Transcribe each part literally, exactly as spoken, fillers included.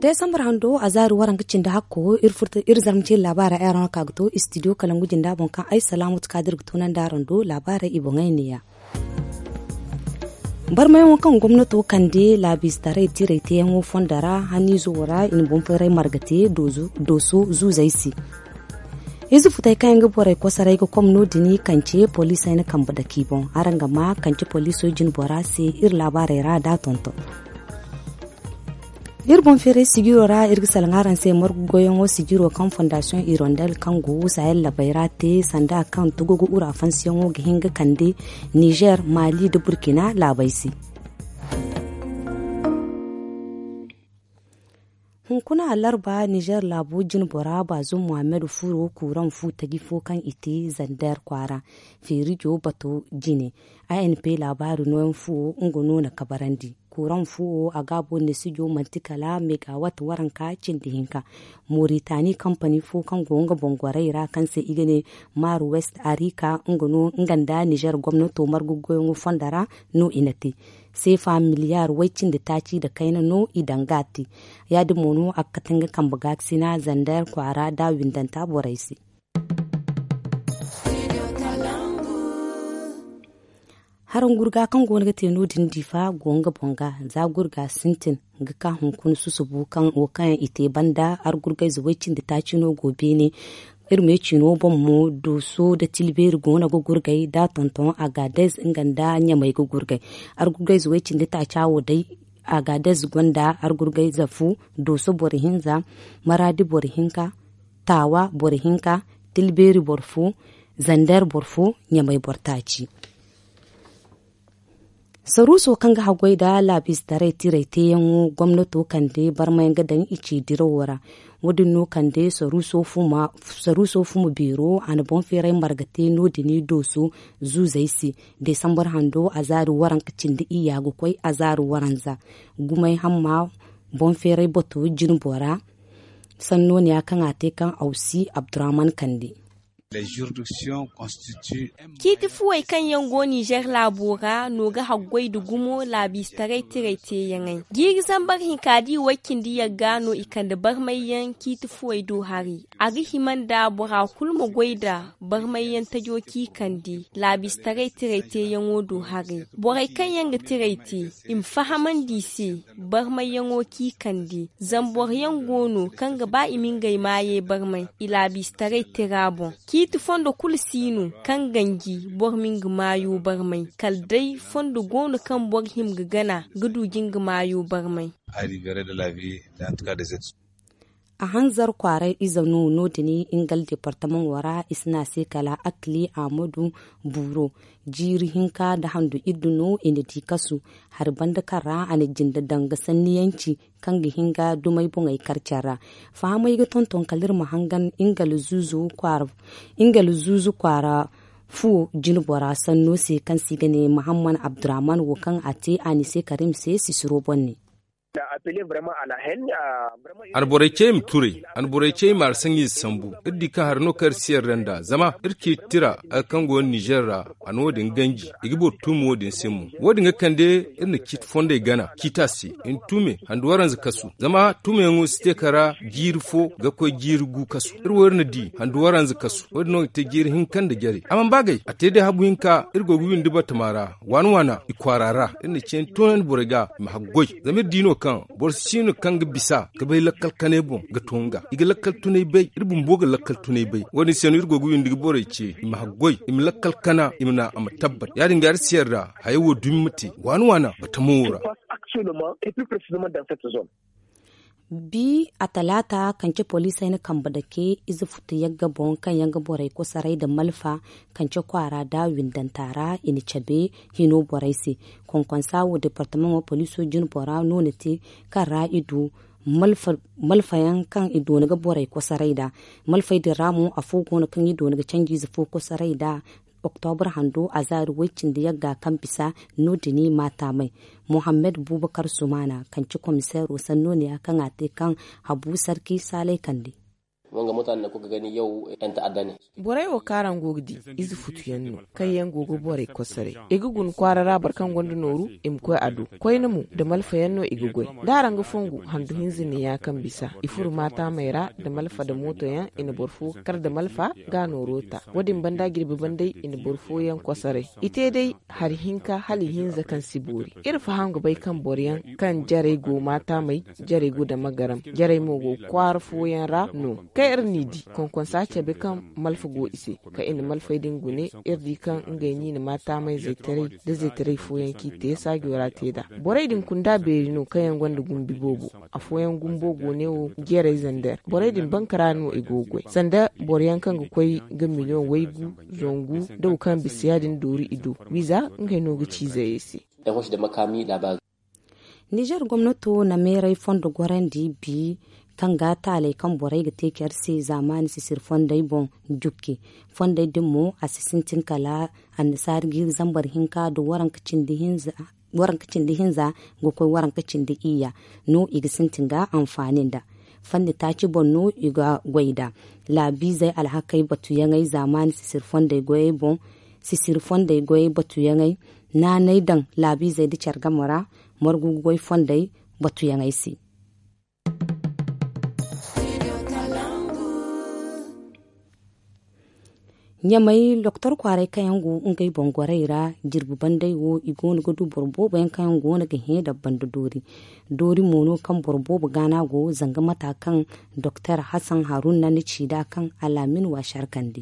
Desambar hando a zaari waranka cindi hakko iri zarma ceeri laabaara ay araŋ no ka ga to istidiyo kalangu jinda boŋ kaŋ ay salaamu tuka da iri ga tunandi araŋ do laabaara i boŋey neeya. Barmayaŋo kaŋ gomnato kande laabiize taray tiray teeyaŋo fondo ra haniizo ra i na boŋ feeray marga te dooso zuuzey se. Ize futey kaŋ yaŋ ga borey kosoray ga kom no- din kance poliisey na kambe dake i boŋ. Araŋ ga ma kance poliiso jine bora se iri laabaarey ra da tonton. Iri boŋ feeray sijiro ra iri ga salaŋ araŋ se margu goyyaŋo sijiro kaŋ fondasiyoŋ irondel kaŋ go sahel labey ra te sanda kaŋ tugugu ura fansiyaŋo ga hin ga kande nizer mali nda burkina laabey se. Hunkuna alarba nizer laabo jine bora baazum muhammad furo kuuraŋ fu taji fo kaŋ i te zander kwaara feerijo bato jine. A n p laabaari nooyaŋ fuwo nga no na kabarandi. Kuuraŋ fuwo a gaabo neesijo manti kala megawat waranka cindi hinka. Moritani kampani fo kaŋ go nga boŋ gorey ra kaŋ se i ga ne mar west arika nga no nga nda nizer gomnato margu goyaŋo fondo ra no i na te. Seefa miliyar way cindi taaci nda kayna no i daŋ ga a te. Ya- din mo no a ga kate nga kambe gaakasina zander kwaara da windanta borey se. Haraŋ gurga kaŋ go no ga te no- din diifa go nga boŋ ga za gurga sintin ga ka hunkuna susubu kaŋ wo kaŋ yaŋ i te banda argurgayze way cindi taaci no go beene. Iri me ciino boŋ mo dooso nda tilbeeri go no ga gurgay da tonton agadez nga nda ɲamay ga gurgay. Argurgayze way cindi taaca wo day agadez gonda argurgayze fu, dooso boro hinza, maraadi boro hinka, taawa boro hinka, tilbeeri boro fo, zander boro fo, ɲamay boro taaci. Saruuso kaŋ ga haggoy nda laabiize taray tiray teeyaŋo gomnato kande barmayaŋ ga daŋ i ci dirawo ra. Wo- din no kande saruuso fuma beero a na boŋ feeray marga te no- din dooso zuuzey se. Desambar hando a zaari waranka cindi iyya ga koy a zaari waranza. Gumay hamma boŋ feeray bato jine bora. Sanno ne ya kaŋ a te kaŋ awsi abdurrahman kande. Ciiti fuwey kaŋ yaŋ go nizer laabo ra no ga haggoy nda gumo laabiistaray tiray teeyaŋey jiiri zambar hinka da i way cindi yagga no i kande barmayyaŋ ciiti fuwey do haray. A ga hima nda bora kulu ma goy nda barmayyaŋ tajo kaŋ i kande laabiistaray tiray teeyaŋo do haray. Borey kaŋ yaŋ ga tiray te i ma fahamandi i se barmayyaŋo kaŋ i kande. Zama boro yaŋ go no kaŋ ga ba i ma ngey maayey barmay i laabiistaray tira boŋ. Ciiti fondo kulu si no kaŋ ganji boro ma nga maayo barmay kala day fondo go no kaŋ boro hima ga gana ga du ga nga maayo barmay. A hanzar kwaaray ize no no- din ingal departamaŋo ra i si ne a se kala akli ahmadu buuro. Jiiri hinka nda handu iddu no i na di kasu. Hari banda kaŋ ra a na jinde daŋ ga sanniyanci kaŋ ga hin ga dumey boŋey kar care ra. Fahamey ga tonton kala iri ma hangan ingal zuuzu kwaara fuwo jine bora sanno se kaŋ se i ga ne mahamman abdurrahman wo kaŋ a te a ni se karim se sisiro boŋ ne. A na borey ce i ma turay. A na borey ce i ma hari saŋiize sambu. Iri di kaŋ hari no kaŋ iri si yarda nd'a zama iri ciiti tira hari kaŋ go no nizer ra. A na wo- din ganji i ga boro tuumi wo- din se mo wo- din ga kande iri na ciiti fondey gana ciita se i na tuume handu waranza kasu zama tuumeyaŋo si te kala jiiri fo ga koy jiiri gu kasu. Iri wo iri na di handu waranza kasu wo- din no ga te jiiri hinka nda jare a mana ba gay a te day habu hinka iri go ga windi batama ra waana waana i kwaara ra iri na ceeni toonandi borey ga i ma haggoy. Zama iri di no kaŋ boro si no kaŋ ga bisa ga bay lakkal kanay boŋ ga to nga i ga lakkal tunay bay iri bumbo ga lakkal tunay bay wo- din se no iri go ga windi ga borey ce i ma haggoy i ma lakkal kana i ma naŋ a ma tabbat ya- din ga iri si yarda hayo wo dumi ma te waana waana batamo wo ra. Bi a talaata kance poliisey na kambe dake ize futu yagga boŋ kaŋ yaŋ ga borey kosoray nda malfa kance kwaara nda windanta ra i na cabe hino borey se. Konkonsa wo departamaŋo poliiso jine bora no na te kaŋ ra i du malfayaŋ kaŋ i doona ga borey kosoray nd'a. Malfey din ra mo afo go no kaŋ i doona ga canjiize fo kosoray nd'a. Oktobra hando a zaari way cindi yagga kaŋ bisa no- din i ma taamay. Mohammed bubakar sumana kaŋ ci komiseero sanno ne ya kaŋ a te kaŋ habu sarki saalay kande. Borey wo kaŋ araŋ go ga di, ize futu yaŋ no, kaŋ yaŋ go ga borey kosoray. I ga guna kwaara ra boro kaŋ gonda nooru, i ma koy a do. Koyne mo, da malfa yaŋ no i ga goy. Da araŋ ga fongu handu hinza neeya kaŋ bisa, i furo maataamey ra, da malfa da mooto yaŋ, i na boro fo kar da malfa, ga nooro ta. Wo- din banda jirbi bandey, i na boro fooyaŋ kosoray. I te day hari hinka hala ihinza kaŋ si boori. Iri faham ga bay kaŋ boro yaŋ kaŋ jarey go maataamey, jarey go dama garam, jarey mo go kwaara fooyaŋ ra no. Kaŋ iri n'i di, konkonsa cabe kaŋ malfa go i se, kaŋ i na malfey din gune. Iri di kaŋ ngey no i na maataamey zaytaray da zaytaray fooyaŋ kaŋ i te saajo ra te nd'a. Borey din kunda beeri no kaŋ yaŋ gonda gumbi boobo. Afooyaŋ gumbo go ne wo, jeeray zander borey din banka ra no i go ga goy, sanda boro yaŋ kaŋ ga koy ga miliyoŋ waygu, zangu, da wo kaŋ bisa ya- din doori i do. Wiiza ngey no ga ci izey se. Nizer gomnato na meeray fondo gorandi bi, kaŋ ga taaley kaŋ borey ga te care se zaamaani sisiri fondey boŋ. Jukki fondey din mo, a si sintin kala annasaari jiiri zambar hinka nda waranka cindi hinza ga koy waranka cindi iyya no i ga sintin ga anfaani nda. Fanni taaci boŋ no i ga goy nd'a. Laabiizey alhakey batuyaŋey zaamaani sisiri fondey goyey boŋ. Sisiri fondey goyey batuyaŋey naanay daŋ laabiizey nda care game ra, margu ga goy fondey batuyaŋey se. Ɲamay doktor kwaaray kaŋ yaŋ go ngey boŋ gorey ra, jirbi bandey wo i go no ga du boro boobo yaŋ kaŋ yaŋ go no ga hẽ da banda doori. Doori mo no kaŋ boro boobo gaana go, zanga mata kaŋ doktor hasan haruna na ci nd'a kaŋ alaamin waasi harkandi.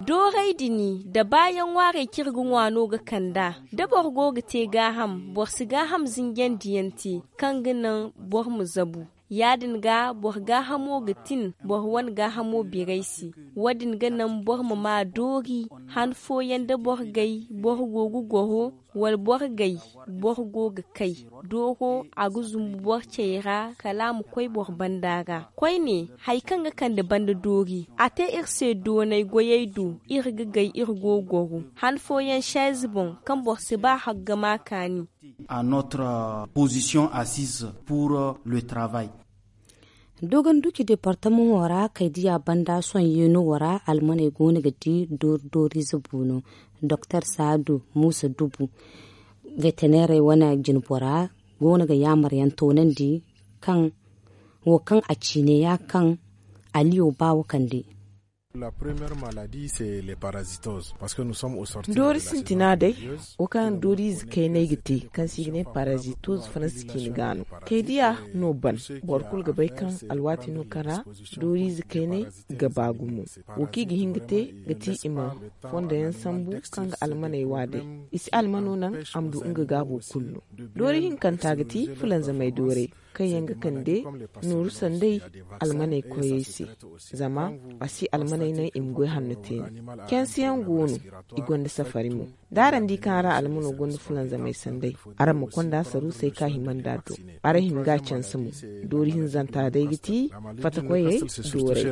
Doorey din da baayaŋ ŋwaarey kaŋ iri ga ŋwa no ga kand'a. Da boro go ga te gaaham, boro si gaaham zinjandiyaŋ te kaŋ ga naŋ boro ma zabu. Ya- din ga boro gaahamo ga tin boro wane gaahamo birey se. Wo- din ga naŋ boro ma maa doori han fooyaŋ da boro gay boro go ga goro, wala boro gay boro go ga kay. Dooro a ga zumbu boro cey ra kala a ma koy boro banda ra. Koyne, hari kaŋ ga kande banda doori, a te iri se doonay goyey do. Iri ga gay iri go ga goro han fooyaŋ seeze boŋ kaŋ boro si ba hagga ma kaani. Dogonduci departamaŋo ra kaydiya banda sohõ yeeno wo ra almaney go no ga di doori dooriize buuno. Doktor saadu muusa dubu, veterinerey wane jinbora go no ga yaamaryaŋ toonandi kaŋ wo kaŋ a ciine ya kaŋ aliyo baawo kande. Doori sintina day, wo kaŋ dooriize kayney ga te kaŋ se i ga ne parazitoz faransi ciine ga no. Kaydiya no ban, boro kulu ga bay kaŋ alwaati no kaŋ ra dooriize kayney ga ba gumo. Wo kaŋ i ga hin ga te ga ti i ma fondo yaŋ sambu kaŋ ga almaney wa day. I si almano naŋ a ma du nga gaabo kulu no. Doori hinkanta ga ti fulanzamey doorey kaŋ yaŋ ga kande nooru sanday almaney koyey se. Zama a si almaney naŋ i ma goy hanno te no. Canse yaŋ go no, i gonda safari mo. Da araŋ di kaŋ araŋ almano gonda fulanzamey sanday, araŋ ma konda saruusey ka hima nd'a do. Araŋ hima ga canse mo. Doori hinzanta day ga ti fatakoyey doorey.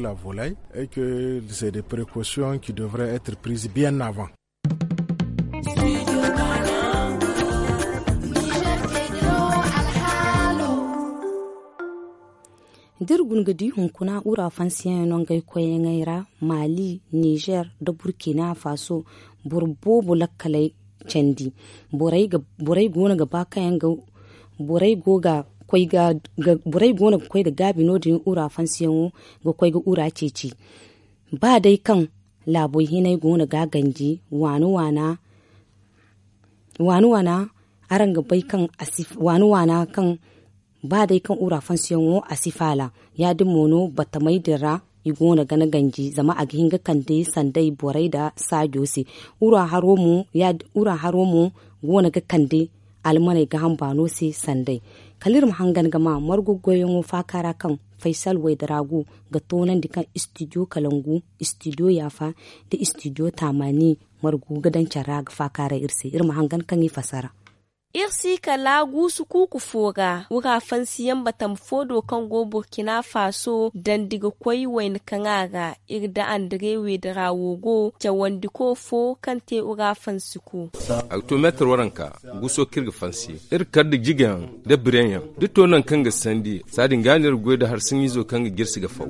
Da iri guna ga di hunkuna ura fansiyaŋ no ngey koyyaŋey ra, maali, nizer nda burkina faso, boro boobo lakkaley candi. Borey go no ga ba kaŋ yaŋ ga borey go ga koy ga borey go no ga koy ga gaabi no- din ura fansiyaŋo, ga koy ga ura ceeci. Ba day kaŋ laaboy hinay go no ga a ganji waana waana waana waana. Araŋ ga bay kaŋ waana waana kaŋ ba day kaŋ ura fansiyaŋo a si faala. Ya- din mo no batamey din ra i go no ga ni ganji zama a ga hin ga kande sanday borey nda saajo se. Ura haro mo go no ga kande almaney gaaham baano se sanday. Kala iri ma hangan ga ma margu goyyaŋo faaka ra kaŋ faysal waydara go ga toonandi kaŋ istidiyo kalangu, istidiyo yaafa, nda istidiyo taamaani margu ga daŋ care ra ga faakaaray iri se. Iri ma hangan kaŋ i fassara. Iri si kala guusu kuuku fo ra wura fansiyaŋ batama fo do kaŋ go burkina faso dandi ga koy wayna kaŋ a ra. Iri da andire weedarawo go cawandiko fo kaŋ te wura fansi ku. A ga to meetar waranka guuso kaŋ iri ga fansi iri kar nda jigayaŋ nda bireyaŋ da to nangu kaŋ ga sandi. Saadin ga no iri ga goy nda harsaŋizo kaŋ ga jirsi ga faw.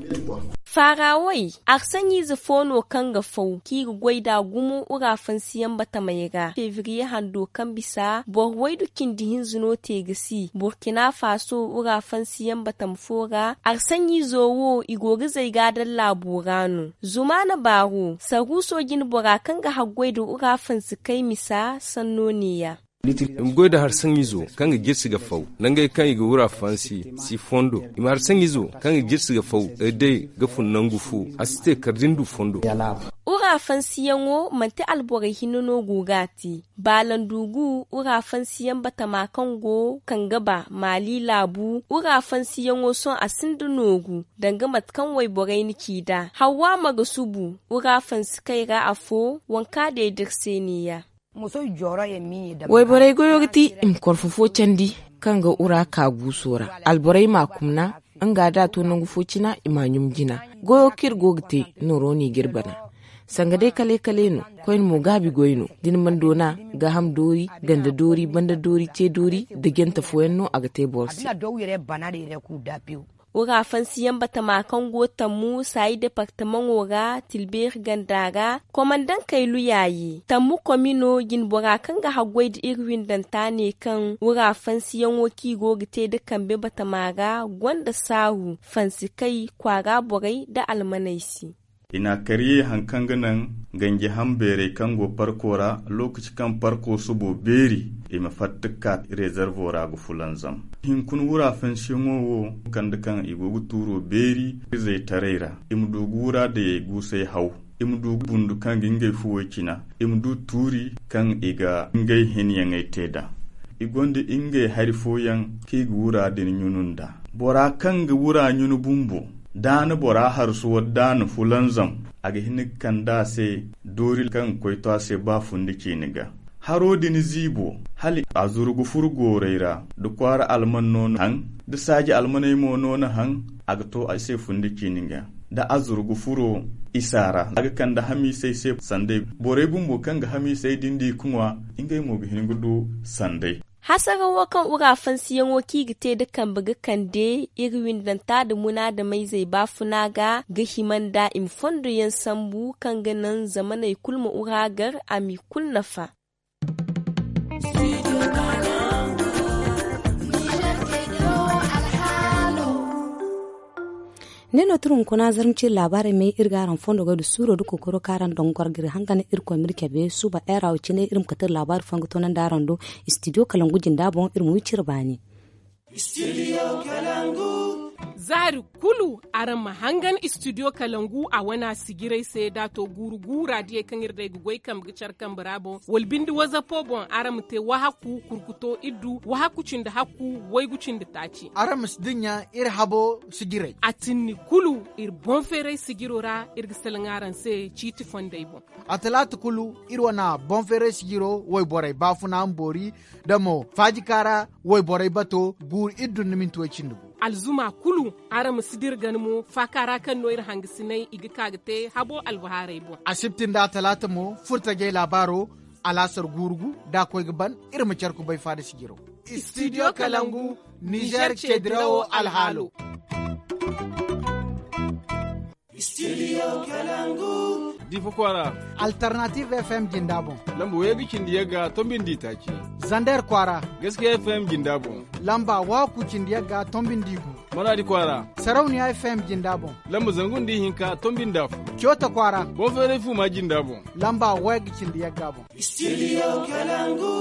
Faarawey, arsaŋize fo no kaŋ ga faw kaŋ i ga goy nd'a gumo wura fansiyaŋ batamey ra febriye hando kaŋ bisa boro waydu cindi hinza no te ga si burkina faso wura fansiyaŋ batama fo ra. Arsaŋizo wo i go ga zay ga a daŋ laabo ra no. Zumaana baaro saruuso jinbora kaŋ ga haggoy nda wura fansi kay misa sanno neeya. I ma goy nda harsaŋizo kaŋ ga jirsi ga faw nangey kaŋ i ga wura fansi si fondo. I ma harsaŋizo kaŋ ga jirsi ga faw day ga fun nangu fo a si te kala da ni du fondo. Wura fansiyaŋo manti alborey hinne no go ga a te. Baalandugu wura fansiyaŋ batama kaŋ go kangaba maali laabu wura fansiyaŋo sohõ a sinda nooru danga mate kaŋ wayborey na ci nd'a hawwa ma ga subu wura fansi kay ra afo. Wanka day da iri se neeya. Wayborey goyo ga ti i ma korfo fo candi kaŋ ga wura ka guuso ra. Alborey m'a kumna nga da a to nangu fo cina i m'a ɲum jina. Goyo kaŋ iri go ga te nooro no i ga iri bana. Sanga day kale kale no koyne mo gaabi goy no da ni mana doona gaaham doori ganda doori banda doori te doori nda jante fooyaŋ no a ga te boro se. Wura fansiyaŋ batama kaŋ go tammu saayi departamaŋo ra tilbeeri ganda ra komandankey luyaayi tammu komino jinbora kaŋ ga haggoy nda iri windanta ne kaŋ wura fansiyaŋo kaŋ i go ga te nda kambe batama ra gonda saaru fansi kay kwaara borey nda almaney se. I n'a kariye hari kaŋ ga naŋ ganji ham beerey kaŋ go parko ra lookaci kaŋ parko subo beeri i ma fatta ga ka rezervo ra ga fulanzam. Hinkuna wura fansiyaŋo wo kande kaŋ i go ga tuuro beeri izey taray ra i ma du ga wura dayey guusay haw. I ma du bundu kaŋ ga ngey fuwey cina i ma du tuuri kaŋ i ga ngey hinyaŋey te nd'a. I gonda ngey hari fooyaŋ kaŋ i ga wura din ɲunu nd'a. Bora kaŋ ga wura ɲunu bumbo da a na bora harsu wala da a na fulanzam a ga hin ga kande a se doori kaŋ ga koy to a se ba fundi ciini ga. Haro din ziibo hala a zuru ga furu goorey ra da kwaara alman no na haŋ da saaji almaney mo no na haŋ. A ga to a se fundi ciini ga da a zuru ga furo isa ra a ga kande hamiisey se sanday. Borey bumbo kaŋ ga hamiisey din di ga ŋwa ngey mo ga hin ga du sanday. Hasarawo kaŋ wura fansiyaŋo kaŋ i ga te nda kambe ga kande iri windanta nda munaadamayzey baafuna ga ga hima nda i ma fondoyaŋ sambu kaŋ ga naŋ zamaney kulu ma wura gar a m'i kulu nafa. Ne no turu hunkuna zarma ciri laabaarey may iri ga araŋ fondo goy da suuro da kookaro kaŋ araŋ daŋ goro ga iri hangan irkoy ma iri cabe suuba era wo cine iri ma kate iri laabaari fooyaŋ ga toonandi araŋ do. Istidiyo kalangu jinda boŋ iri ma wi cire baani. Zaari kulu araŋ ma hangan istidiyo kalangu a wane a sijirey se da a to guuru guura diyey kaŋ iri day ga goy kambe ga care kambe ra boŋ wala binde wazapo boŋ araŋ ma te wahakku kurkuto iddu wahakku cindi hakku waygu cindi taaci. Araŋ ma si dinya iri habo sijirey a tinni kulu iri boŋ feeray sijiro ra iri ga salaŋ araŋ se ciiti fondey boŋ. A talaata kulu iri wane boŋ feeray sijiro wayborey baafuna ma boori da mo faajika ra wayborey bato guuru iddu nda minti way cindi gu. Alzuma kulu araŋ ma si dira gana mo faaka ra kaŋ no iri hangasiney i ga ka ga te habo albahaarey boŋ. Asibti nda talaata mo furtajey laabaaro alaasar guuru gu da a koy ga ban iri ma care kubay faada sijiro. Istidiyo kalangu nizer ceedirawo alhaalo. Difa kwaara. Alternative fm jinda boŋ. Lamba waygu cindi yagga tombindi taaci. Zander kwaara. Gaskiya fm jinda boŋ. Lamba waku cindi yagga tombindi gu. Maradi kwaara. Sarauniya fm jinda boŋ. Lamba zangu nda ihinka tombindi afo. Coota kwaara. Boŋ feeray fuma jinda boŋ. Lamba waygu cindi yagga boŋ. Studio kalangu.